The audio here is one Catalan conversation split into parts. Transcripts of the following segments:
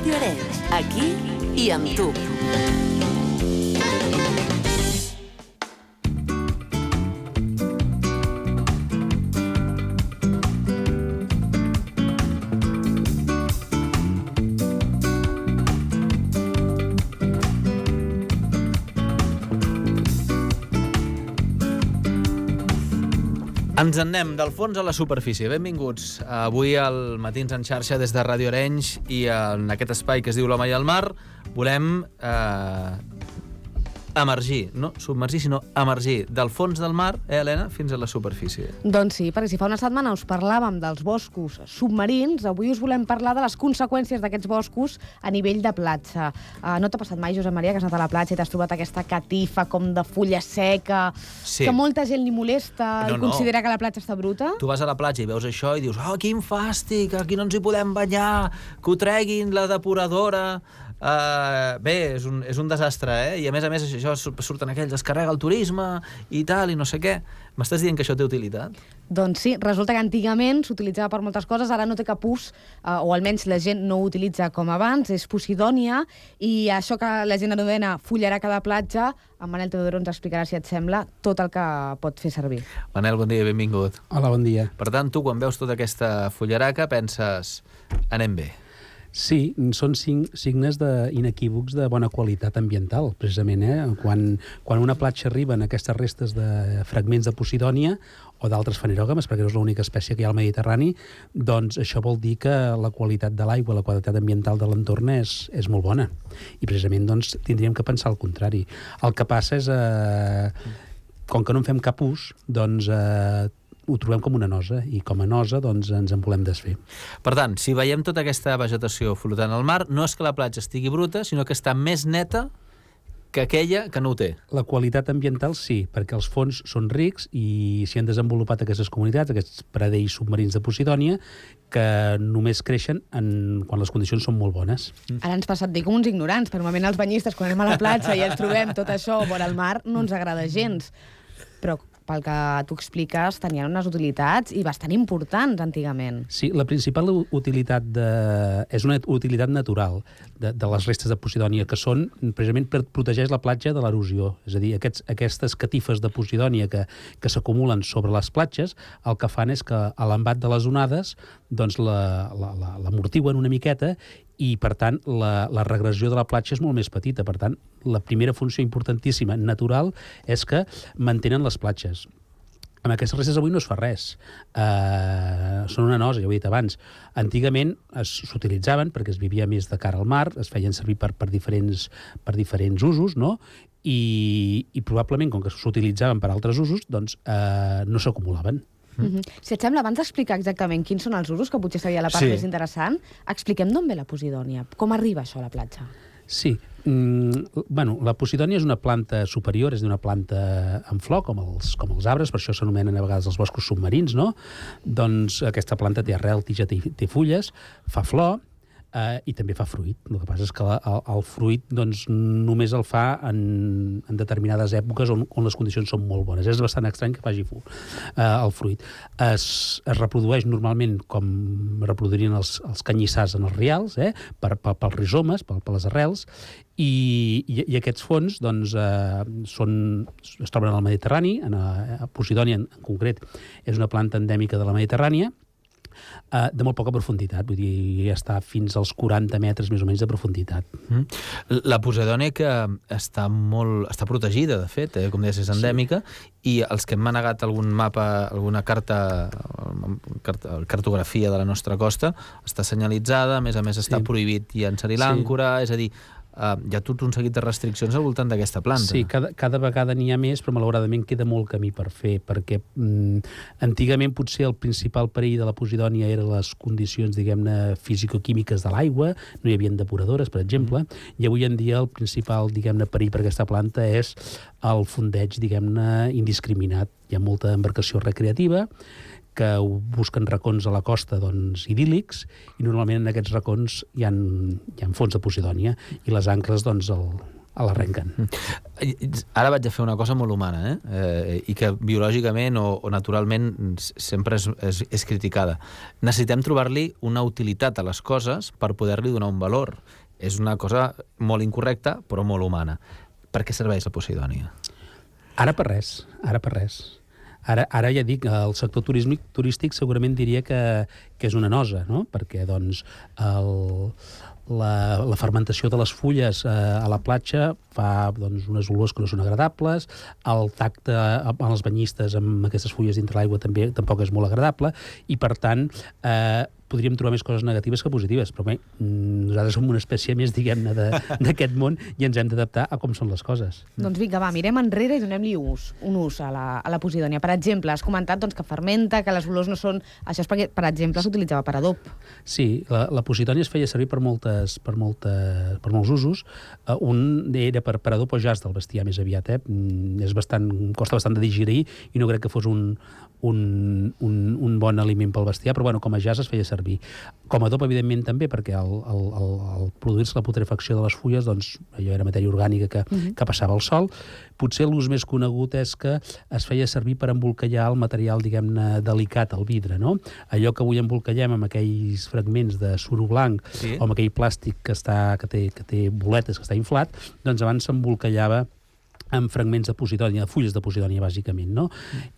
Ràdio Arenys, aquí i amb tu. Ens en anem del fons a la superfície. Benvinguts avui al Matins en xarxa des de Ràdio Arenys i en aquest espai que es diu L'Home i el Mar volem emergir, no submergir, sinó emergir del fons del mar, Helena, fins a la superfície. Doncs sí, perquè si fa una setmana us parlàvem dels boscos submarins, avui us volem parlar de les conseqüències d'aquests boscos a nivell de platja. No t'ha passat mai, Josep Maria, que has anat a la platja i t'has trobat aquesta catifa com de fulla seca, sí, que molta gent li molesta i considera que la platja està bruta? Tu vas a la platja i veus això i dius quin fàstic, aquí no ens hi podem banyar, que ho treguin la depuradora. Bé, és un desastre, i a més això surten aquells, es carrega el turisme i tal, i no sé què. M'estàs dient que això té utilitat? Doncs sí, resulta que antigament s'utilitzava per moltes coses, ara no té cap ús, o almenys la gent no ho utilitza com abans, és posidònia, i això que la gent anomena fullaraca de platja, en Manel Teodoro ens explicarà, si et sembla, tot el que pot fer servir. Manel, bon dia, benvingut. Hola, bon dia. Per tant, tu quan veus tota aquesta fullaraca penses, anem bé. Sí, són signes inequívocs de bona qualitat ambiental, precisament. Quan una platja arriba en aquestes restes de fragments de posidònia o d'altres fanerògames, perquè no és l'única espècie que hi ha al Mediterrani, doncs això vol dir que la qualitat de l'aigua, la qualitat ambiental de l'entorn és molt bona. I precisament doncs, tindríem que pensar el contrari. El que passa és, com que no en fem cap ús, doncs ho trobem com una nosa, i com a nosa doncs, ens en volem desfer. Per tant, si veiem tota aquesta vegetació flotant al mar, no és que la platja estigui bruta, sinó que està més neta que aquella que no ho té. La qualitat ambiental sí, perquè els fons són rics i s'hi han desenvolupat aquestes comunitats, aquests pradells submarins de posidònia, que només creixen quan les condicions són molt bones. Ara ens passa et dir com uns ignorants, per normalment els banyistes, quan anem a la platja i ens trobem tot això vora el mar, no ens agrada gens. Però pel que tu expliques, tenien unes utilitats i bastant importants antigament. Sí, la principal utilitat és una utilitat natural de les restes de posidònia, que són precisament per protegir la platja de l'erosió. És a dir, aquestes catifes de posidònia que s'acumulen sobre les platges, el que fan és que a l'embat de les onades doncs l'amortiguen una miqueta i, per tant, la regressió de la platja és molt més petita. Per tant, la primera funció importantíssima, natural, és que mantenen les platges. Amb aquestes restes avui no es fa res. Són una nosa, ja ho he dit abans. Antigament s'utilitzaven perquè es vivia més de cara al mar, es feien servir per diferents usos, no? I probablement, com que s'utilitzaven per altres usos, doncs no s'acumulaven. Si et sembla, abans d'explicar exactament quins són els usos, que potser seria la part més interessant, expliquem d'on ve la posidònia. Com arriba això a la platja? Sí. La posidònia és una planta superior, és una planta en flor, com els arbres, per això s'anomenen a vegades els boscos submarins, no? Doncs aquesta planta té arrel, tija, té fulles, fa flor, i també fa fruit. El que passa és que el fruit doncs, només el fa en determinades èpoques on les condicions són molt bones. És bastant estrany que faci el fruit. Es reprodueix normalment com reproduirien els canyissars en els rials, pels rizomes, per les arrels, i aquests fons doncs, es troben al Mediterrani, a Posidònia en concret és una planta endèmica de la Mediterrània, de molt poca profunditat, vull dir, ja està fins als 40 metres més o menys de profunditat. La posidònia que està protegida, de fet, com deies, és endèmica, i els que hem manegat algun mapa, alguna cartografia de la nostra costa, està senyalitzada, a més està prohibit llançar-hi l'àncora, és a dir, hi ha tot un seguit de restriccions al voltant d'aquesta planta. Sí, cada vegada n'hi ha més, però malauradament queda molt camí per fer, perquè antigament potser el principal perill de la posidònia eren les condicions, diguem-ne, fisicoquímiques de l'aigua, no hi havia depuradores, per exemple, i avui en dia el principal, diguem-ne, perill per aquesta planta és el fondeig, diguem-ne, indiscriminat. Hi ha molta embarcació recreativa que busquen racons a la costa doncs, idíl·lics, i normalment en aquests racons hi ha fons de posidònia, i les ancres doncs, l'arrenquen. Ara vaig a fer una cosa molt humana, i que biològicament o naturalment sempre és criticada. Necessitem trobar-li una utilitat a les coses per poder-li donar un valor. És una cosa molt incorrecta, però molt humana. Per què serveix la Posidònia? Ara per res. Ara ja dic, el sector turístic segurament diria que és una nosa, no? Perquè doncs, la fermentació de les fulles a la platja fa doncs, unes olors que no són agradables, el tacte amb els banyistes amb aquestes fulles dintre l'aigua tampoc és molt agradable, i per tant podríem trobar més coses negatives que positives, però bé, nosaltres som una espècie més, diguem-ne, d'aquest món i ens hem d'adaptar a com són les coses. Doncs vinga, va, mirem enrere i donem-li un ús a la Posidònia. Per exemple, has comentat doncs, que fermenta, que les olors no són... Això és perquè, per exemple, s'utilitzava per adob. Sí, la Posidònia es feia servir per molts usos. Un era per adob o jaç del bestiar més aviat. Costa bastant de digerir i no crec que fos un bon aliment pel bestiar, però bueno, com a jaç es feia servir. Com a adob, evidentment, també, perquè al produir-se la putrefacció de les fulles, doncs, allò era matèria orgànica que passava al sol. Potser l'ús més conegut és que es feia servir per embolcallar el material, diguem-ne, delicat, el vidre, no? Allò que avui embolcallem amb aquells fragments de suro blanc, sí, o amb aquell plàstic que té boletes, que està inflat, doncs abans s'embolcallava amb fragments de Posidònia, fulles de Posidònia, bàsicament, no?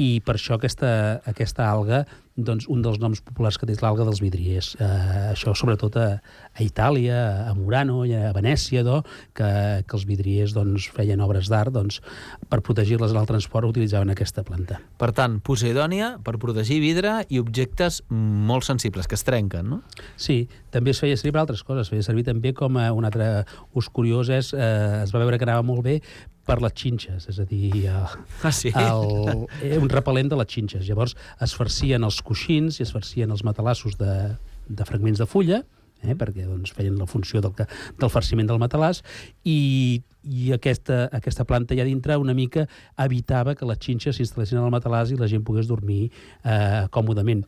I per això aquesta alga, doncs, un dels noms populars que té és l'alga dels vidriers. Això, sobretot, a Itàlia, a Murano, a Venècia, que els vidriers doncs, feien obres d'art, doncs, per protegir-les en el transport utilitzaven aquesta planta. Per tant, Posidònia per protegir vidre i objectes molt sensibles, que es trenquen, no? Sí, també es feia servir per altres coses. Es feia servir també com un altre ús curiós es va veure que anava molt bé per les xinxes, és a dir, un repel·lent de les xinxes. Llavors es farcien els coixins i es farcien els matalassos de fragments de fulla, perquè doncs, feien la funció del farciment del matalàs, i aquesta planta allà dintre una mica evitava que les xinxes s'instal·lessin al matalàs i la gent pogués dormir còmodament.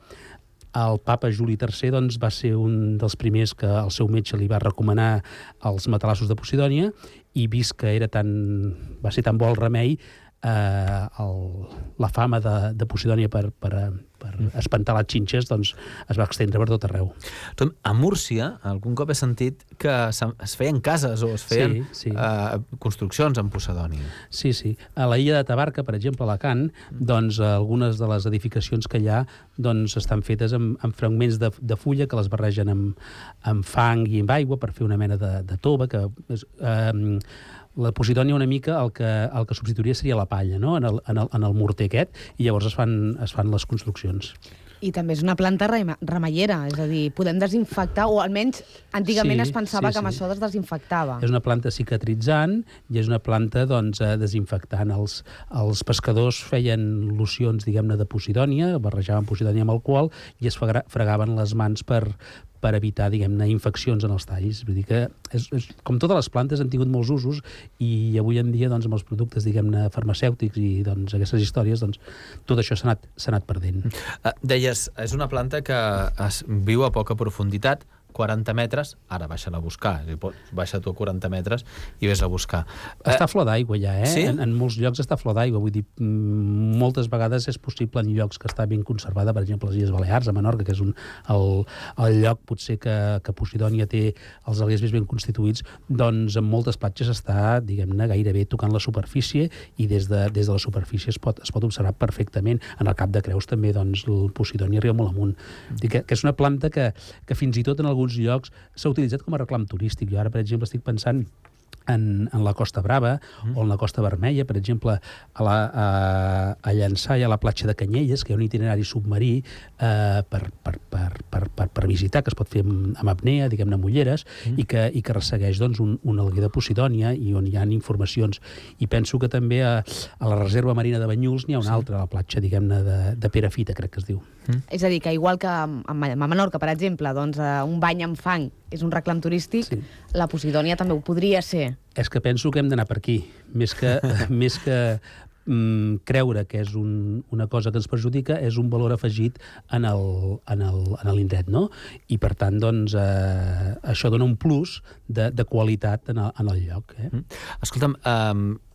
El papa Juli III doncs, va ser un dels primers que el seu metge li va recomanar els matalassos de Posidònia, i vist que va ser tan bo el remei, la fama de Posidònia per espantar les xinxes doncs, es va estendre per tot arreu. A Múrcia, algun cop he sentit que es feien cases o es feien construccions amb Posidònia. Sí. A la illa de Tabarca, per exemple, a Alacant, doncs, algunes de les edificacions que hi ha doncs, estan fetes amb fragments de fulla que les barregen amb fang i amb aigua per fer una mena de tova, que la Posidònia una mica el que substituiria seria la palla, no? en el morter aquest, i llavors es fan les construccions. I també és una planta remeiera, és a dir, podem desinfectar, o almenys antigament es pensava que amb això es desinfectava. És una planta cicatritzant i és una planta doncs, desinfectant. Els pescadors feien locions, diguem-ne, de Posidònia, barrejaven Posidònia amb alcohol i es fregaven les mans per evitar, diguem-ne, infeccions en els talls. Vull dir que, com totes les plantes, han tingut molts usos i avui en dia, doncs, amb els productes, diguem-ne, farmacèutics i doncs, aquestes històries, doncs, tot això s'ha anat perdent. Deies, és una planta que viu a poca profunditat, 40 metres, ara baixa-la a buscar. Baixa tu a 40 metres i vés a buscar. Està a flor d'aigua ja, Sí? En molts llocs està a flor d'aigua. Vull dir, moltes vegades és possible en llocs que està ben conservada, per exemple, les Illes Balears, a Menorca, que és el lloc potser que Posidònia té els aliers més ben constituïts, doncs en moltes platges està, diguem-ne, gairebé tocant la superfície i des de la superfície es pot observar perfectament. En el Cap de Creus també, doncs, el Posidònia arriba molt amunt. Que és una planta que fins i tot en alguns llocs s'ha utilitzat com a reclam turístic. Jo ara, per exemple, estic pensant en la Costa Brava o en la Costa Vermella, per exemple, a Llançà i a la platja de Canyelles, que hi ha un itinerari submarí per visitar, que es pot fer amb apnea, diguem-ne, amb ulleres, i que ressegueix doncs, un alguer de Posidònia i on hi ha informacions. I penso que també a la Reserva Marina de Banyuls n'hi ha una altra, a la platja, diguem-ne, de Perafita, crec que es diu. És a dir, que igual que a Menorca, per exemple, doncs, un bany amb fang és un reclam turístic, la Posidònia també ho podria ser. És que penso que hem d'anar per aquí, més que creure que és una cosa que ens perjudica és un valor afegit en l'indret, no? I, per tant, doncs, això dona un plus de qualitat en el lloc. Escolta'm,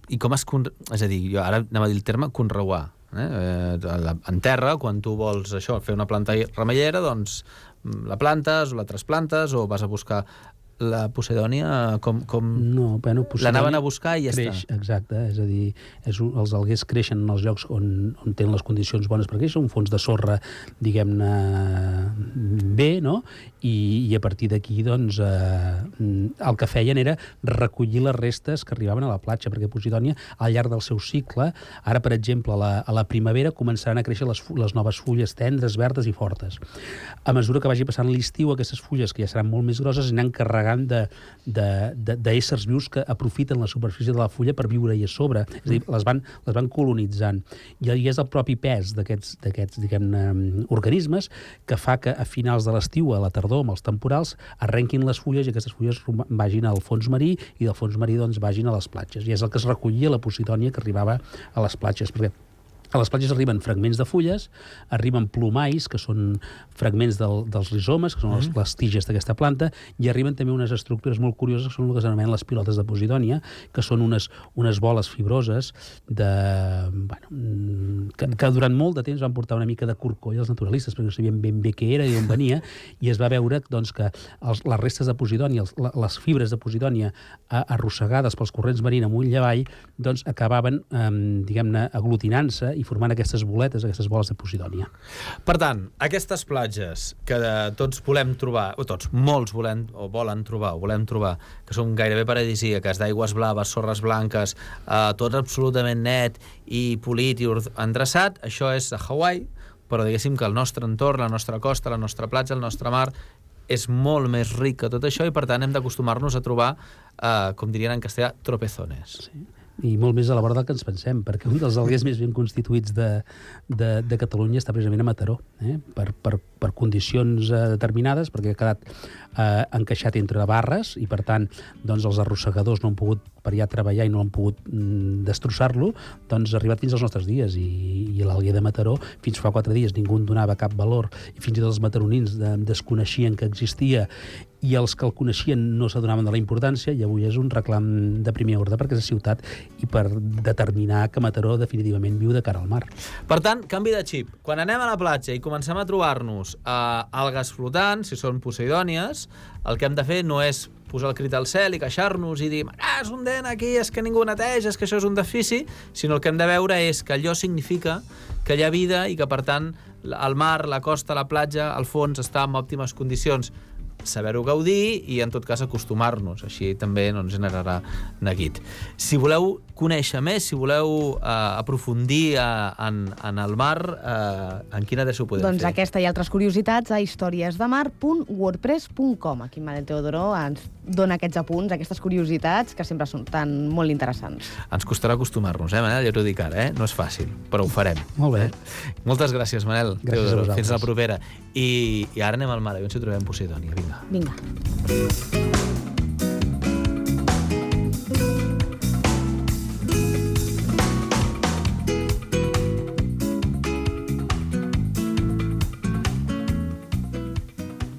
i com és a dir, jo ara anem a dir el terme conreuar. En terra, quan tu vols fer una planta remeiera, doncs la plantes o la trasplantes o vas a buscar la Posidònia, No, bueno, l'anaven a buscar i ja creix, està. Exacte, és a dir, els alguers creixen en els llocs on tenen les condicions bones per créixer, un fons de sorra, diguem-ne, bé, no? I a partir d'aquí, doncs, el que feien era recollir les restes que arribaven a la platja, perquè Posidònia, al llarg del seu cicle, ara, per exemple, a la primavera començaran a créixer les noves fulles tendres, verdes i fortes. A mesura que vagi passant l'estiu, aquestes fulles, que ja seran molt més grosses, aniran carregant d'éssers vius que aprofiten la superfície de la fulla per viure-hi a sobre. És a dir, les van colonitzant. I és el propi pes d'aquests diguem-ne, organismes que fa que a finals de l'estiu, a la tardor, amb els temporals, arrenquin les fulles i aquestes fulles vagin al fons marí i del fons marí doncs, vagin a les platges. I és el que es recollia la Posidònia que arribava a les platges, perquè a les platges arriben fragments de fulles, arriben plomalls, que són fragments dels rizomes, que són les tiges d'aquesta planta, i arriben també unes estructures molt curioses, que són el que s'anomenen les pilotes de Posidònia, que són unes boles fibroses que durant molt de temps van portar una mica de corcoll als naturalistes, perquè no sabien ben bé què era i d'on venia, i es va veure doncs, que les restes de Posidònia, les fibres de Posidònia arrossegades pels corrents marins amunt i avall, doncs acabaven, diguem-ne, aglutinant-se i formant aquestes boletes, aquestes boles de Posidònia. Per tant, aquestes platges que tots volem trobar, o tots, molts volen trobar, que són gairebé paradisíaques, d'aigües blaves, sorres blanques, tot absolutament net i polit i endreçat, això és a Hawaii, però diguéssim que el nostre entorn, la nostra costa, la nostra platja, el nostre mar, és molt més ric que tot això i, per tant, hem d'acostumar-nos a trobar, com dirien en castellà, tropezones. Sí. I molt més a la vora del que ens pensem, perquè un dels alguers més ben constituïts de Catalunya està precisament a Mataró, per condicions determinades, perquè ha quedat encaixat entre barres i, per tant, doncs, els arrossegadors no han pogut per allà treballar i no han pogut destrossar-lo, doncs ha arribat fins als nostres dies i l'alguer de Mataró, fins fa 4 dies ningú en donava cap valor i fins i tot els mataronins desconeixien que existia i els que el coneixien no s'adonaven de la importància i avui és un reclam de primer ordre perquè és la ciutat i per determinar que Mataró definitivament viu de cara al mar. Per tant, canvi de xip. Quan anem a la platja i comencem a trobar-nos algues flotants, si són posidònies, el que hem de fer no és posar el crit al cel i queixar-nos i dir és un dent aquí, és que ningú neteja, és que això és un defici, sinó el que hem de veure és que allò significa que hi ha vida i que, per tant, el mar, la costa, la platja, el fons està en òptimes condicions. Saber-ho gaudir i, en tot cas, acostumar-nos. Així també no ens generarà neguit. Si voleu conèixer més, si voleu aprofundir en el mar, en quina adreça ho podem fer? Doncs aquesta i altres curiositats a historiesdemar.wordpress.com. Aquí Manel Teodoro ens dona aquests apunts, aquestes curiositats, que sempre són tan molt interessants. Ens costarà acostumar-nos, Manel? Ja t'ho dic ara, no és fàcil, però ho farem. Molt bé. Moltes gràcies, Manel. Gràcies a vosaltres. Fins la propera. I ara anem al mar, a veure si trobem Posidònia. Vinga. Vinga.